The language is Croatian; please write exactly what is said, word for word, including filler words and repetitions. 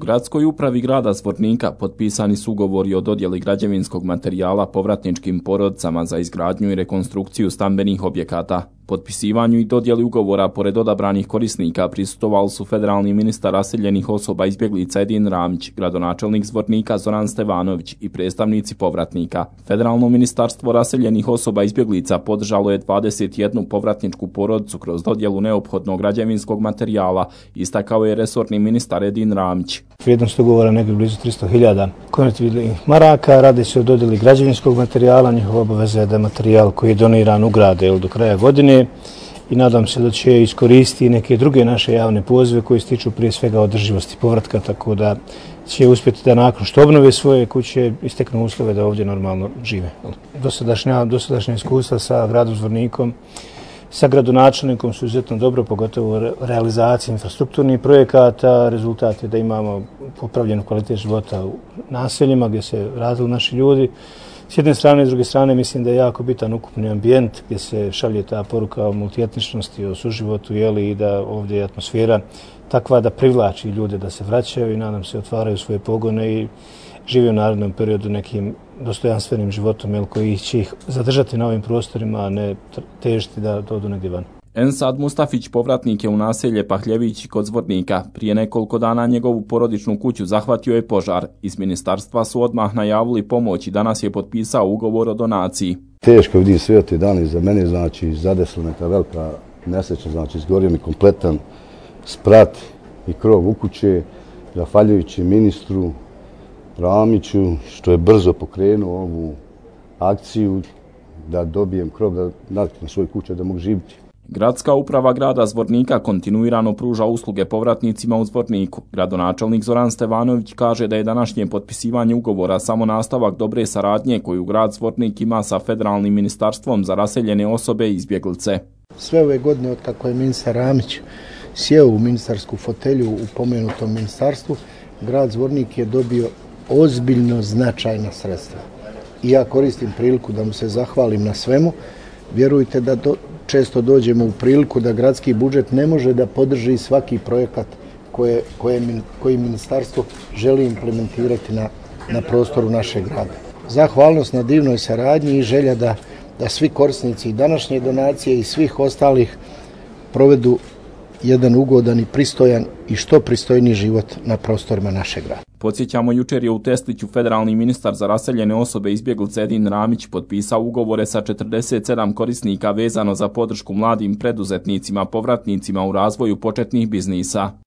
gradskoj upravi grada Zvornika potpisani su ugovori o dodjeli građevinskog materijala povratničkim porodicama za izgradnju i rekonstrukciju stambenih objekata. Potpisivanju i dodjeli ugovora pored odabranih korisnika prisustvovali su federalni ministar raseljenih osoba izbjeglica Edin Ramić, gradonačelnik Zvornika Zoran Stevanović i predstavnici povratnika. Federalno ministarstvo raseljenih osoba izbjeglica podržalo je dvadeset jednu povratničku porodicu kroz dodjelu neophodnog građevinskog materijala, istakao je resorni ministar Edin Ramić. Vrijednost ugovora negdje blizu tristo hiljada konvertibilnih maraka, radi se o dodjeli građevinskog materijala, njihova obaveza je da materijal koji je doniran ugrade do kraja godine i nadam se da će iskoristiti neke druge naše javne pozive koji se tiču prije svega održivosti povratka, tako da će uspjeti da nakon što obnove svoje kuće isteknu uslove da ovdje normalno žive. Dosadašnja, dosadašnja iskustva sa gradom Zvornikom, sa gradonačelnikom su izuzetno dobro, pogotovo u realizaciji infrastrukturnih projekata. Rezultat je da imamo popravljenu kvalitet života u naseljima gdje se razviju naši ljudi. S jedne strane i s druge strane mislim da je jako bitan ukupni ambijent gdje se šalje ta poruka o multietničnosti, o suživotu, jeli, i da ovdje je atmosfera takva da privlači ljude da se vraćaju i nadam se otvaraju svoje pogone i žive u narednom periodu nekim dostojanstvenim životom, jel, koji će ih zadržati na ovim prostorima, a ne težiti da odu negdje van. Ensad Mustafić povratnik je u naselje Pahljević kod Zvornika. Prije nekoliko dana njegovu porodičnu kuću zahvatio je požar. Iz ministarstva su odmah najavili pomoć i danas je potpisao ugovor o donaciji. Teško vidim sve te dane za mene, znači zadesla neka velika nesreća, znači izgorio mi kompletan sprat i krov u kuće, zahvaljujući ministru Ramiću što je brzo pokrenuo ovu akciju da dobijem krov da naviknem svoju kuću da mogu živjeti. Gradska uprava grada Zvornika kontinuirano pruža usluge povratnicima u Zvorniku. Gradonačelnik Zoran Stevanović kaže da je današnje potpisivanje ugovora samo nastavak dobre saradnje koju grad Zvornik ima sa federalnim ministarstvom za raseljene osobe i izbjeglice. Sve ove godine od kako je ministar Ramić sjeo u ministarsku fotelju u pomenutom ministarstvu, grad Zvornik je dobio ozbiljno značajna sredstva. I ja koristim priliku da mu se zahvalim na svemu. Vjerujte da do, često dođemo u priliku da gradski budžet ne može da podrži svaki projekat koje, koje, koji ministarstvo želi implementirati na, na prostoru našeg grada. Zahvalnost na divnoj saradnji i želja da, da svi korisnici i današnje donacije i svih ostalih provedu jedan ugodan i pristojan i što pristojniji život na prostorima našeg grada. Podsjećamo, jučer je u Tesliću federalni ministar za raseljene osobe izbjeglice Edin Ramić potpisao ugovore sa četrdeset sedam korisnika vezano za podršku mladim preduzetnicima, povratnicima u razvoju početnih biznisa.